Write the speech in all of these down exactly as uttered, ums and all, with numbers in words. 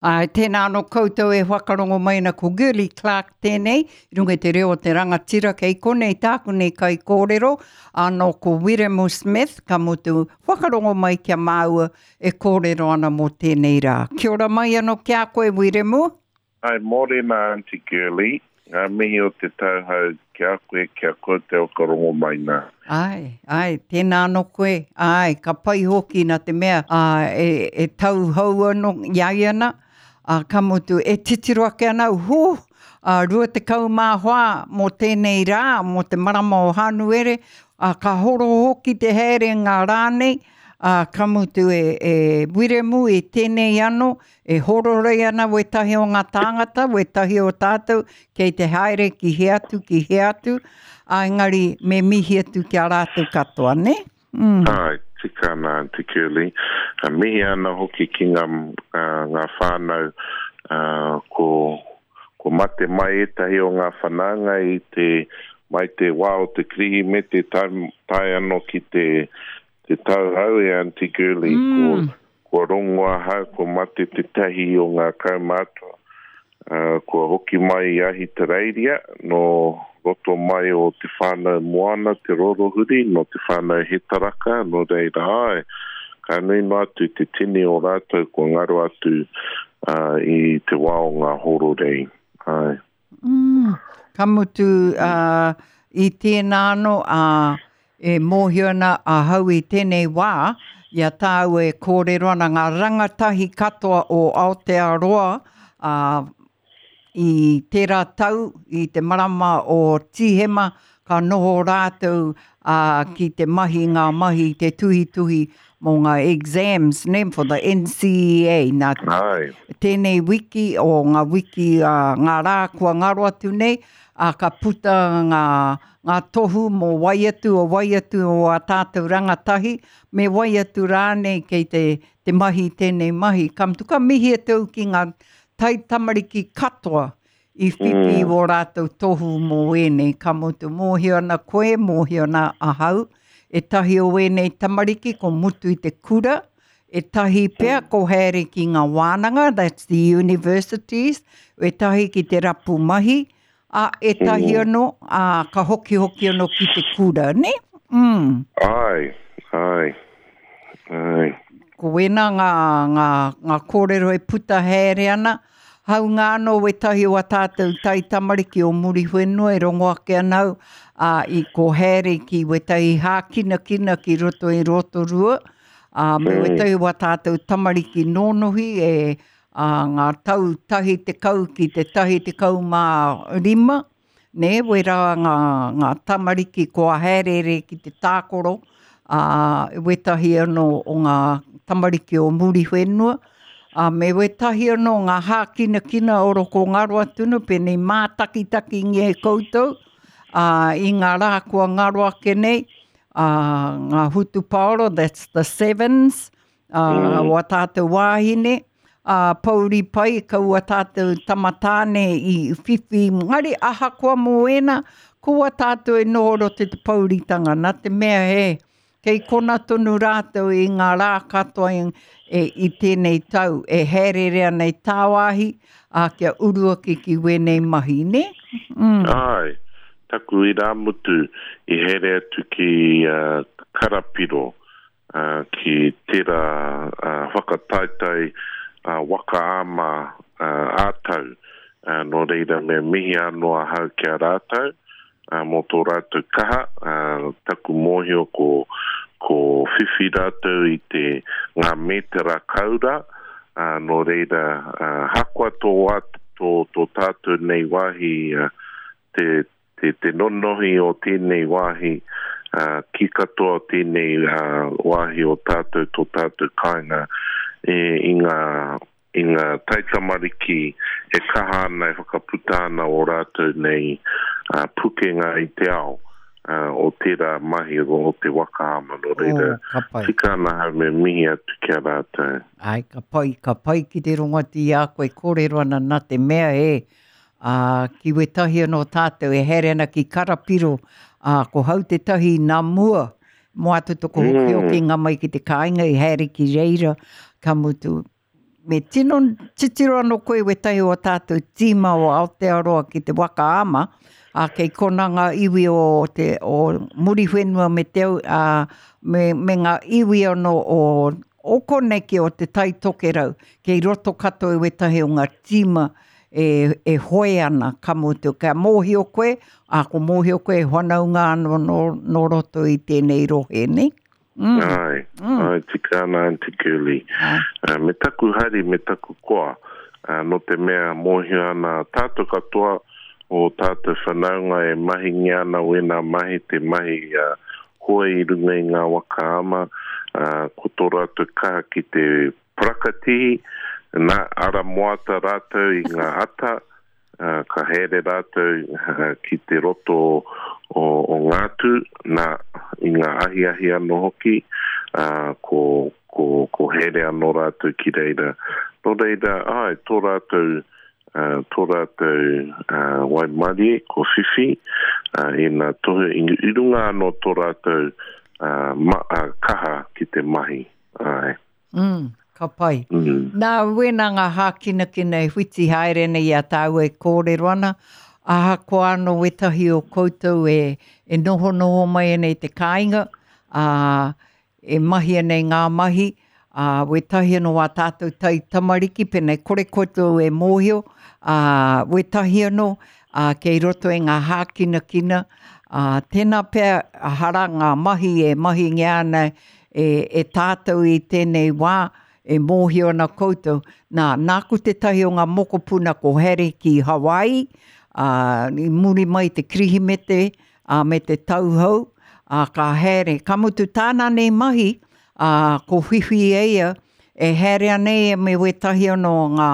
Āe, tēnā anō koutou e whakarongo mai ana ko Girlie Clarke tēnei, i runga i te reo o te rangatira kei konei tāku nei kaikōrero, anō ko Wiremu Smith, ka mutu whakarongo mai ki a māua e kōrero ana mō tēnei rā. Kia ora mai anō ki a koe, Wiremu. Ai, mōrena Aunty Girlie, ngā mihi o te tauhou ki a koe, ki a koutou whakarongo mai nā. Āe, āe, tēnā anō koe, āe, ka pai hoki nā te mea ā, e, e tauhou anō i a ia ana, ā, ka mutu, e titiro ake ana au, hū, ā, rua tekau mā whā mō tēnei rā, mō te marama o Hānuere, ā, ka horo hoki te haere ngā rā nei, ā, ka mutu e, e Wiremu i tēnei anō, e hororei ana wētahi o ngā tāngata, wētahi o tātou, kei te haere ki hea atu, ki hea atu, ā, engari me mihi atu ki a rātou katoa, nē? Mm. Āe, tika ana Aunty Curly. Uh, mihi ana hoki ki ngā, uh, ngā whānau uh, ko, ko mate mai ētahi o ngā whanaunga i te, mai te wā o te Kirihimete tae, tae anō ki te, te tauhou e Aunty Girlie. Mm. Ko, kua rongo ahau, ko mate tētahi o ngā kaumātua. Uh, kua hoki mai i Ahitereiria, no roto mai o te whānau Moana, te Rorohuri, no te whānau Hetaraka, no reira ai. Ka nui noa atu te tini o rātou kua ngaro atu uh, i te wā o ngā hororei. Ai. Mm. Ka mutu uh, i tēnā anō, uh, e mōhio ana ahau i tēnei wā, i a tāua e kōrero ana ngā rangatahi katoa o Aotearoa, uh, i tērā tau, i te marama o Tīhema, ka noho rātou uh, ki te mahi ngā mahi, te tuhituhi mō ngā exams, ne, for the N C E A. Nā, Ai. tēnei wiki o ngā wiki, uh, ngā rā kua ngaro atu nei, uh, ka puta ngā, ngā tohu mō wai atu o wai atu o a tātou rangatahi, me wai atu rānei kei te, te mahi tēnei mahi. Ka mutu ka mihi atu ki ngā taitamariki katoa i whiwhi mm. o rātou tohu mō ēnei. Ka mutu mōhio ana koe, mōhio ana ahau, ētahi o ēnei tamariki ko mutu i te kura, ētahi pea ko haere ki ngā wānanga, that's the universities, ētahi ki te rapu mahi, a ētahi mm. anō, a, ka hokihoki anō ki te kura, ne? Mm. Ai, ai, ai. Ko wēnā ngā, ngā, ngā kōrero e puta haere ana, haunga anō wētahi o a tātou taitamariki o Muriwhenua e rongo ake ana au, ā, i ko haere ki wētahi hākinakina ki roto i Rotorua, ā, me Mm. wētahi o a tātou tamariki nōnohi e ā, ngā tau tahi tekau ki te tahi tekau mā rima, ne, wērā ngā, ngā tamariki kua haerere ki te tākoro, ā, wētahi anō o ngā tamariki o Muriwhenua, ā, me wētahi anō ngā hākinakina o roko ngaro atu nu, pēnei mātakitakingia e koutou, ā, i ngā rā kua ngaro ake nei, ā, ngā hutupaoro, that's the sevens, ā, Mm. o a tātou wāhine, ā, pouri pai, kaua tātou tamatāne i whiwhi, ngari ahakoa mō ēnā, kua tātou e noho roto i te pouritanga, nā te mea he, kei kona tonu rātou i ngā rā katoa i, e, i tēnei tau, e haerere ana i tāwāhi, ā, kia uru ake ki wēnei mahi, ne? Mm. Ai, taku irāmutu i haere atu ki uh, Karapiro, uh, ki tērā uh, whakataetae uh, waka ama uh, ā-tau. Uh, nō reira me mihi anō ahau ki a rātou, uh, mō tō rātou kaha, uh, taku mōhio ko, ko whiwhi rātou i te ngā mētera kaura, uh, nō reira uh, hakoa tō, wā, tō, tō tātou nei wāhi, uh, te, te, te nonohi o tēnei wāhi, uh, ki katoa o tēnei uh, wāhi o tātou, tō tātou kāinga, e, i ngā, i ngā taitamariki e kaha ana, e whakaputa ana o rātou nei uh, pukenga i te ao uh, o tērā mahi o te waka ama, nō reira. Oh, ka pai. Tika ana hau me mihi atu ki a rātou. Ai, ka pai, ka pai ki te rongo atu i a koe kōrero ana nā te mea e, ā, ki wētahi anō tātou e haere ana ki Karapiro, ā, ko hau te tahi nā mua, mō atu toko hoki Mm. hoki ngā mai ki te kāinga i haere ki reira, ka mutu, me tino titiro anō koe wētahi o tātou tīma o Aotearoa ki te waka ama, a kei kona ngā iwi o te o Muriwhenua me te a, me, me ngā iwi anō o o koneki o te Tai Tokerau, kei roto katoa i wētahi o ngā tīma e, e hoe ana, ka mutu. Kia mōhio koe, a ko mōhio koe e whanaunga anō nō, nō roto i tēnei rohe, nei? Mm. Ai, mm. Ai, tika ana Aunty Curly. Uh, me taku hari, me taku koa, uh, no te mea mōhio ana tātou katoa o tātou whanaunga e mahingia ana wēnā mahi, te mahi uh, hoe i runga i ngā waka ama, uh, ko tō rātou kaha ki te parakatihi, nā ara moata rātou i ngā ata, uh, ka haere rātou uh, ki te roto o, o Ngātu, nā i ngā ahiahi anō hoki, uh, ko, ko, ko haere anō rātou ki reira. Nō reira, ai, tō rātou, uh, tō rātou uh, waimarie, ko whiwhi, uh, i nā tohu, i runga anō tō rātou uh, ma, uh, kaha ki te mahi. Ai. Mm. Ka pai. Mm. Nā, wēnā ngā hākinakina e whiti haere nei i a tāua e kōrero ana, ahakoa anō wētahi o koutou e, e nohonoho mai ana i te kāinga, ā, e mahi ana i ngā mahi, ā, wētahi anō wā tātou tai tamariki, pēnei kore koutou e mōhio, ā, wētahi anō, ā, kei roto i ngā hākinakina, ā, tēnā pea hara ngā mahi e mahingia ana e, e tātou i tēnei wā, e mōhio ana koutou. Nā, nāku tētahi o ngā mokopuna ko haere ki Hawaii, ā, i muri mai te Kirihimete, ā, me te tauhou, ā, ka haere. Ka mutu tāna nei mahi, ā, ko whiwhi e ia, e haere ana ia me wētahi anō ngā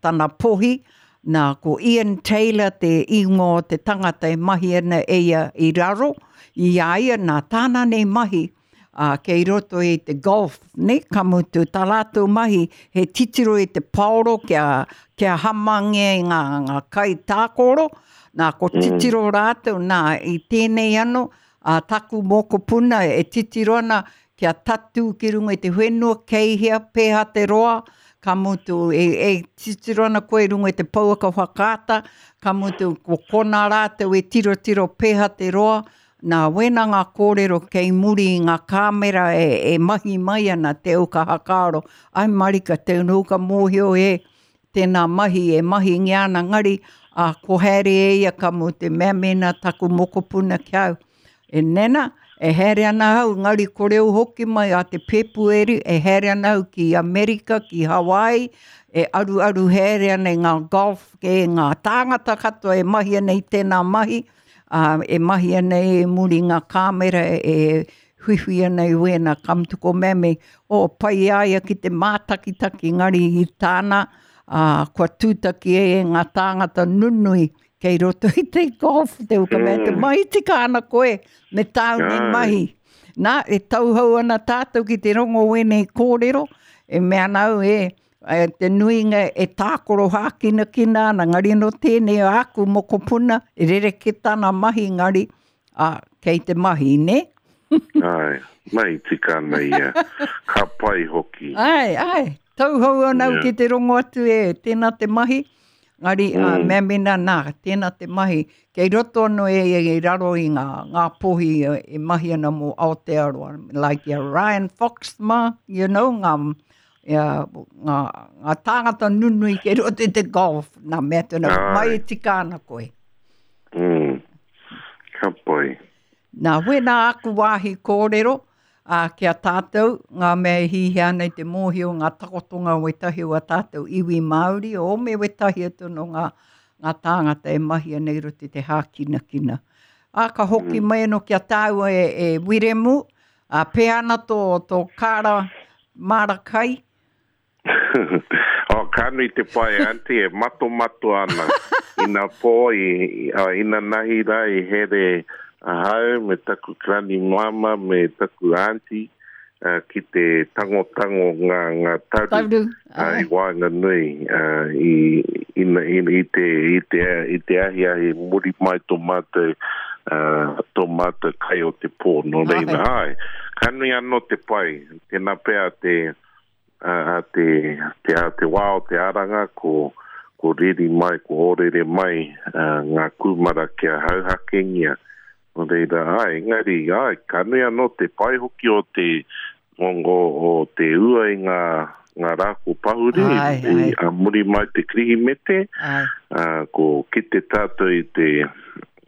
tana pohi, nā, ko Ian Taylor te ingoa o te tangata e mahi ana e ia i raro, i a ia, nā tāna nei mahi, Uh, kei roto i te golf, ne? Ka mutu tā rātou mahi, he titiro i te paoro kia, kia hamangia i ngā, ngā kai tākoro, nā ko titiro rātou, nā i tēnei anō, uh, taku mokopuna e titiro ana kia tatū ki runga i te whenua, kei hea, pēha te roa, ka mutu e, e titiro ana koe i runga i te pouaka whakaata, ka mutu ko kona rātou e tirotiro pēha te roa, nā wēnā ngā kōrero kei muri i ngā kāmera e, e mahi mai ana te uka hakaaro. Ai marika, te uka mōhio e tēnā mahi e mahingia ana ngari, a ko haere e ia ka mu te mea mēnā taku mokopuna ki au. E nena, e haere ana au, ngari kore au hoki mai a te Pēpueri, e haere ana au ki Amerika, ki Hawaii, e aru aru haere ana i ngā golf, e ngā tāngata katoa e mahi ana i tēnā mahi, Uh, e mahi ana e muri ngā kāmera e huihui ana i wēnā, ka mutu ko mea o pai a ia ki te mātakitaki ngari i tāna, uh, kua tūtaki e ngā tāngata nunui kei roto i te golf, te uka mea te mahi tika ana koe, me tāu nei mahi. Nā, e tauhou ana tātou ki te rongo wēnei kōrero, e mea ana au e, e te nuinga e tākoro hākinakina ana, ngari no tēnei o aku mokopuna, e rereke tana mahi ngari, a, kei te mahi, ne? Ai, mahi tika ana ia, ka pai hoki. Ai, ai, tauhou ana au Yeah. ki te rongo atu e, tēnā te mahi, ngari, mm. uh, Mm. mea mena nā, tēnā te mahi, kei roto anō e, e, e raro i ngā, ngā pohi e, e mahi ana mō Aotearoa, like ia Ryan Fox mā, you know, ngā, ia, ngā, ngā tāngata nunui kei roto i te golf, nā mea tēnā, Ai. mai e tika ana koe. Mm. Ka pai. Nā, wēnā aku wāhi kōrero, ā, ki a tātou, ngā mea e hihia ana i te mōhio, ngā takotonga wētahi o a tātou iwi Māori, o me wētahi atu no ngā, ngā tāngata e mahi ana i roto i te hākinakina. Ā, ka hoki mai anō ki a tāua e, e Wiremu, ā, pēhea ana tō, tō kāra māra kai? Oh, ka nui te pai, Aunty, e matomato ana. Ina pō, i, i, uh, ina nahi rā i here ahau me taku granny mama me taku aunty uh, ki te tangotango ngā, ngā taru, Taru, uh, i waenganui, uh, i, ina, i, i, te, i, te, i te ahiahi muri mai tō mātou, uh, tō mātou kai o te pō. Nō reira, ai, ka nui anō te pai, tēnā pea te, a te, te, a te wā o te aranga, ko, ko riri mai, ko orere mai uh, ngā kūmara kia hauhakengia. Nō reira, ai, engari, ai, ka nui anō te pai hoki o te, o, o, o te ua i ngā, ngā rā ko pahure, Ai, i, ai. a muri mai te Kirihimete, Ai. uh, ko kite tātou i te,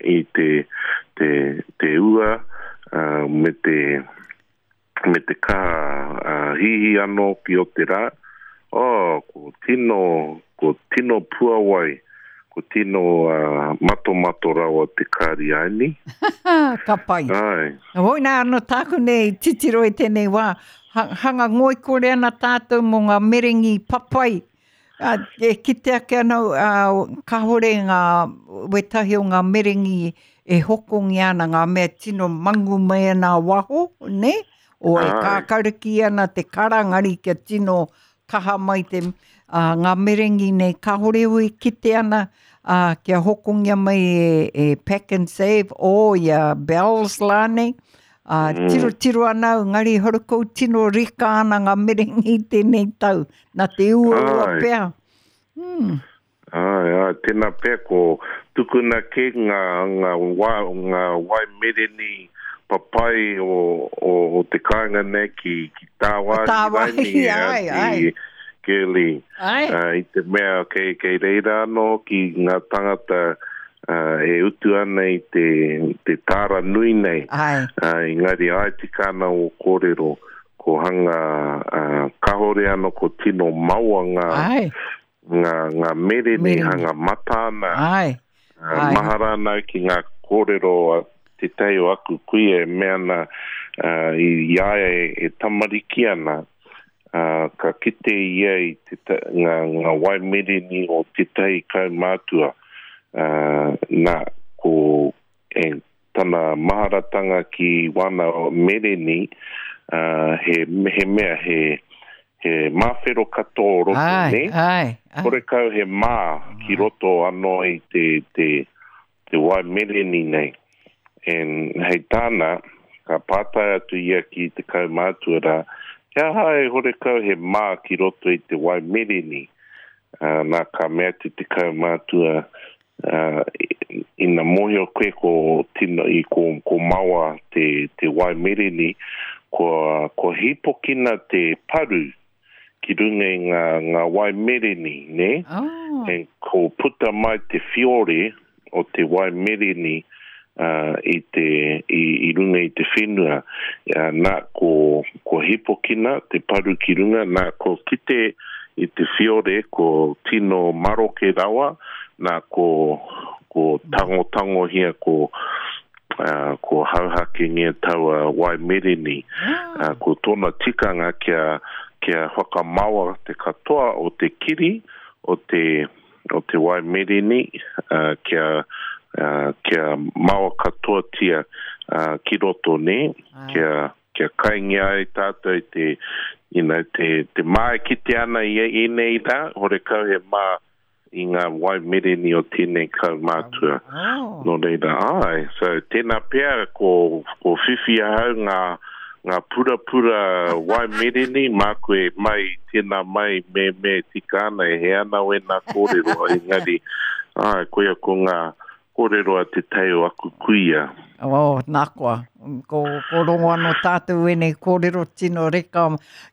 i te, te, te ua, uh, me te, me te kaha uh, hihi anō ki o te rā. Oh, ko tino, ko tino puawai, ko tino uh, matomato rawa te kāri aini. Ka pai. Ai, Hoi nā anō tāku nei titiro i tēnei wā, ha, hanga ngoikore ana tātou mō ngā merengi papai. A, e kite ake anau, ā, kāhore ngā wetahi o ngā merengi e hokongia ana, ngā mea tino mangu mai ana a waho, ne? O e Ai. kākariki ana te karangari kia tino kaha mai te ā, ngā merengi nei kāhore ui kite ana ā, kia hokongia mai e, e Pack and Save o ia Bells lānei. Ā, Mm. tiro tiro ana au, ngari horukou tino reka ana ngā merengi i tēnei tau. Nā te uaua Ai. pea. Hmm. ai, ai, tēnā pea ko tukuna ke ngā, ngā, wā, ngā wai mereni papai o, o, o te kāinga nei ki, ki tāwāhi Tāwāhi, raini, ai, ai. ki Girlie. Ai. Uh, i te mea kei, kei reira anō ki ngā tangata uh, e utu ana i te, te tāra nui nei. Ai. Uh, engari ai tika ana o kōrero, ko hanga uh, kahore anō ko tino maua ngā, Ai. ngā, ngā merene, Merene. hanga mata ana. Ai. Uh, Ai. mahara ana au ki ngā kōrero a te tei o aku kuia e mea ana uh, i, i a ia e, e tamariki ana, uh, ka kite ia i te, ta- ngā, ngā wai mereni o tētahi kaumātua. Uh, nā, ko e, tana maharatanga ki wana mereni, uh, he, he mea, he, he māwhero katoa o roto, Ai. ne? Ai. Ai. Horekau he mā ki roto anō i te, te, te wai mereni nei. And hei tāna, ka pātai atu ia ki te kaumātua rā, he aha e horekau he mā ki roto i te wai mereni. Uh, nā ka mea atu te kaumātua, uh, ina mōhio koe ko, tino, i ko, ko maua te, te wai mereni, ko, ko hipokina te paru ki runga i ngā, ngā wai mereni, ne? Oh. And ko puta mai te fiore o te wai mereni uh, i, te, i, i runga i te whenua. Uh, nā ko, ko hipokina te paru ki runga, nā ko kite i te fiore ko tino maroke rawa, nā ko, ko tangotangohia ko, uh, ko hauhakengia taua wai mereni. Ah. Uh, ko tōna tikanga kia, kia whakamaua te katoa o te kiri, o te, o te wai mereni, uh, kia, uh, kia maua katoatia uh, ki roto ne, Ai. kia, kia kaingia ai tātou te, you know, te, te mā e kite ana i ēnei rā, horekau he mā i ngā wai mereni o tēnei kaumātua. Oh. Nō reira, ai, so tēnā pea ko, ko whiwhi ahau ngā, ngā purapura wai mereni, māku e mai, tēnā mai, me, me tika ana, e he ana wēnā kōrero, engari, ai, koia ko ngā kōrero a te tei o aku kuia. Oh, nā koa. Ko, ko rongo anō tātou ēnei kōrero tino reka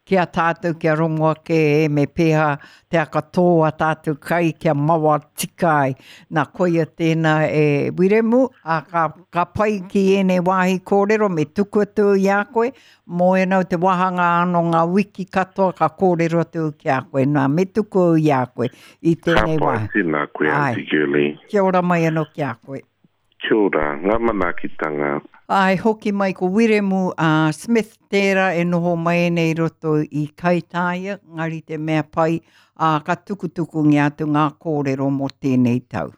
ki a tātou kia rongo ake e me pēhā te akatō a tātou kai kia mawa tika ai. Nā koia tēnā e Wiremu, a ka, ka pai ki ēnei wāhi kōrero me tuku atu i a koe, mō enau te wāhanga anō ngā wiki katoa ka kōrero atu ki a koe. Nā, me tuku i a koe i Ka tēnei pai wāhi. tēnā koe, Ai. Auntie Girlie. Kia ora mai anō ki a koe. Kia ora, ngā manaakitanga. Ai, hoki mai ko Wiremu a Smith tērā e noho mai nei roto i Kaitāia, ngari te mea pai, a ka tukutuku ngi atu ngā kōrero mō tēnei tau.